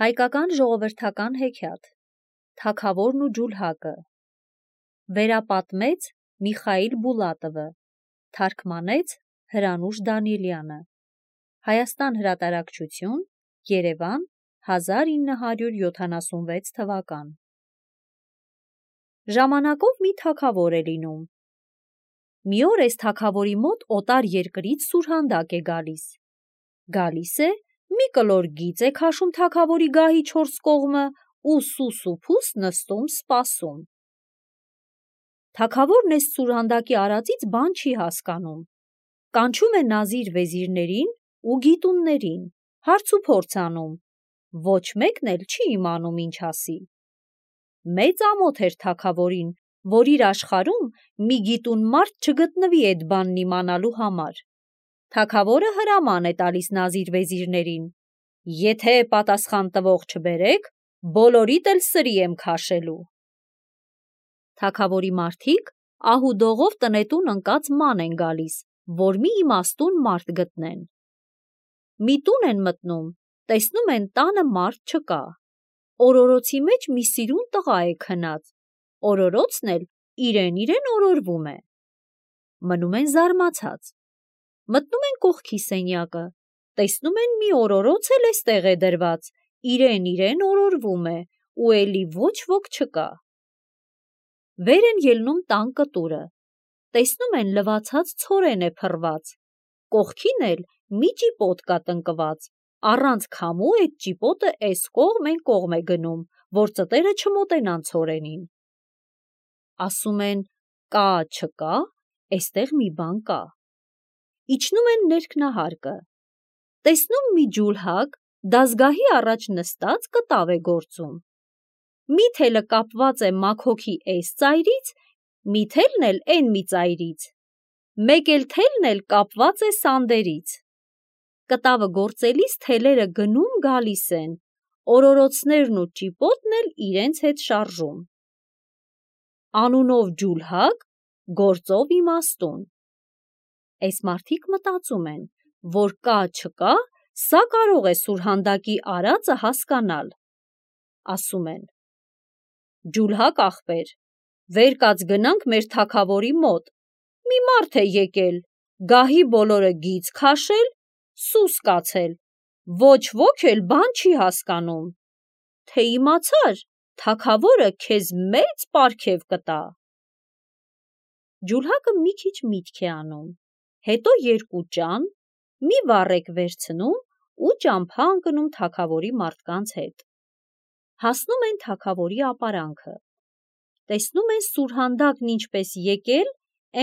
Հայկական ժողովրդական հեքիաթ Թագավորն ու ջուլհակը վերապատմեց Միխայիլ Բուլատովը, թարգմանեց Հրանուշ Դանիելյանը, Հայաստան հրատարակչություն, Երևան, 1976 թվական։ Ժամանակով մի թագավոր է լինում։ Մի օր այս թագավորի մոտ օտար երկրից սուրհանդակ է գալիս։ Գալիս է, մի կլոր գիծ է քաշում թագավորի գահի 4 կողմը ու սուս ու փուս նստում սպասում։ Թագավորն այս սուրհանդակի արածից բան չի հասկանում։ Կանչում է նազիր վեզիրներին ու գիտուններին, հարց ու փորձ անում, ոչ մեկն էլ չի իմանում ինչ ասի։ Մեծ ամոթ էր թագավորին, որ իր աշխարհում մի գիտուն մարդ չգտնվի այդ բանն իմանալու համար։ Թագավորը հրաման է տալիս նազիր վեզիրներին. եթե պատասխան տվող չբերեք, բոլորիդ էլ սրի եմ քաշելու։ Թագավորի մարդիկ ահուդողով տնետուն ընկած ման են գալիս, որ մի իմաստուն մարդ գտնեն։ Մի տուն են մտնում, տեսնում են տանը մարդ չկա։ Օրորոցի մեջ մի սիրուն տղա է քնած, օրորոցն էլ իրեն օրորվում է։ Մնում են զարմացած։ Մտնում են կողքի սենյակը, տեսնում են մի օրորոց էլ էստեղ է դրված, իրեն օրորվում է ու էլի ոչ ոք չկա։ Վեր են ելնում տան կտուրը, տեսնում են լվացած ցորեն է փռված, կողքին էլ մի ճիպոտ կա տնկված, առանց քամու այդ ճիպոտը էս կողմ են կողմ է գնում, որ ծտերը չմոտենան ցորենին։ Ասում են կա չկա, էստեղ մի բան կա։ Իջնում են ներքնահարկը, տեսնում մի ջուլհակ դազգահի առաջ նստած կտավ է գործում։ Մի թելը կապված է մաքոքի էս ծայրից, մի թելն էլ էն մի ծայրից, մեկ էլ թելն էլ կապված է սանդերից։ Կտավը գործելիս թելերը գնում գալիս են, օրորոցներն ու ճիպոտն էլ իրենց հետ շարժում։ Անունով ջուլհակ, գործով իմաստուն։ Այս մարդիկ մտածում են, որ կա չկա, սա կարող է սուրհանդակի արածը հասկանալ։ Ասում են. ջուլհակ ախպեր, վեր կաց գնանք մեր թագավորի մոտ, մի մարդ է եկել, գահի բոլորը գիծ քաշել, սուս կացել, ոչ ոք էլ բան չի հասկանում, թե իմացար, թագավորը քեզ մեծ պարգև կտա։ Ջուլհակը մի քիչ միտք է անում, հետո 2 ճան, մի վառեկ վերցնում ու ճամփա ընկնում թագավորի մարդկանց հետ։ Հասնում են թագավորի ապարանքը, տեսնում են սուրհանդակն ինչպես եկել,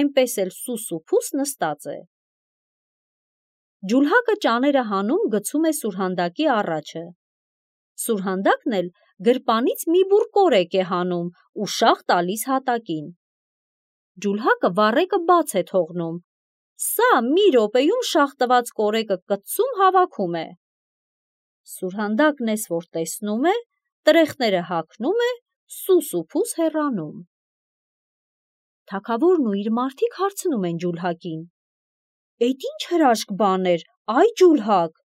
էնպես էլ սուս ու փուս նստած է։ Ջուլհակը ճաները հանում գցում է սուրհանդակի առաջը։ Սուրհանդակն էլ գրպանից մի բուռ կորեկ է հանում ու շաղ տալիս հատակին։ Ջուլհակը վառեկը բաց է թողնում, սա մի րոպեում շաղ տված կորեկը կծում հավաքում է։ Սուրհանդակն էս որ տեսնում է, տրեխները հագնում է, սուս ու փուս հեռանում։ Թագավորն ու իր մարդիկ հարցնում են ջուլհակին. «Էդ ինչ հրաշք բան էր, այ ջուլհակ»։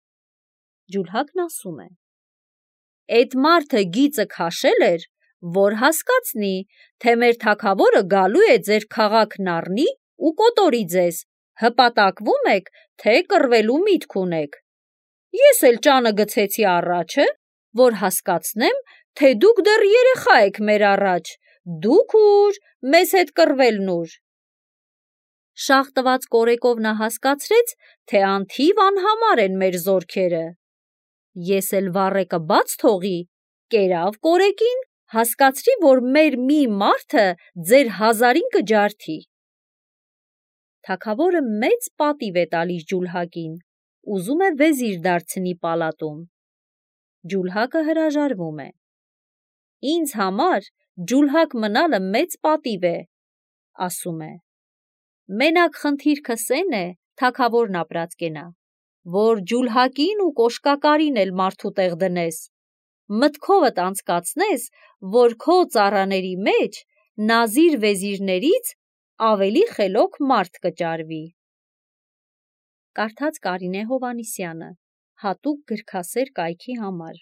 Ջուլհակն ասում է. «Էդ մարդը գիծը քաշել էր, որ հասկացնի, թե մեր թագավորը գալու է ձեր քաղաքն առնի ու կոտորի ձեզ, հպատակվում եք, թե կռվելու միտք ունեք։ Ես էլ ճանը գցեցի առաջը, որ հասկացնեմ, թե դուք դեռ երեխա եք մեր առաջ, դուք ուր, մեզ հետ կռվելն ուր»։ Շաղ տված կորեկով նա հասկացրեց, թե անթիվ անհամար են մեր զորքերը։ Ես էլ վառեկը բաց թողի, կերավ կորեկին, հասկացրի, որ մեր մի մարդը ձեր 1000-ին կջարդի։ Թագավորը մեծ պատիվ է տալիս ջուլհակին, ուզում է վեզիր դարձնի պալատում։ Ջուլհակը հրաժարվում է։ Ինձ համար ջուլհակ մնալը մեծ պատիվ է, ասում է։ Մենակ խնդիրքս էն է, թագավորն ապրած կենա, որ ջուլհակին ու կոշկակարին էլ մարդու տեղ դնես, մտքովդ անցկացնես, որ քո ծառաների մեջ նազիր վեզիրներից ավելի խելոք մարդ կճարվի։ Կարդաց Կարինե Հովհաննիսյանը, հատուկ գրքասեր կայքի համար։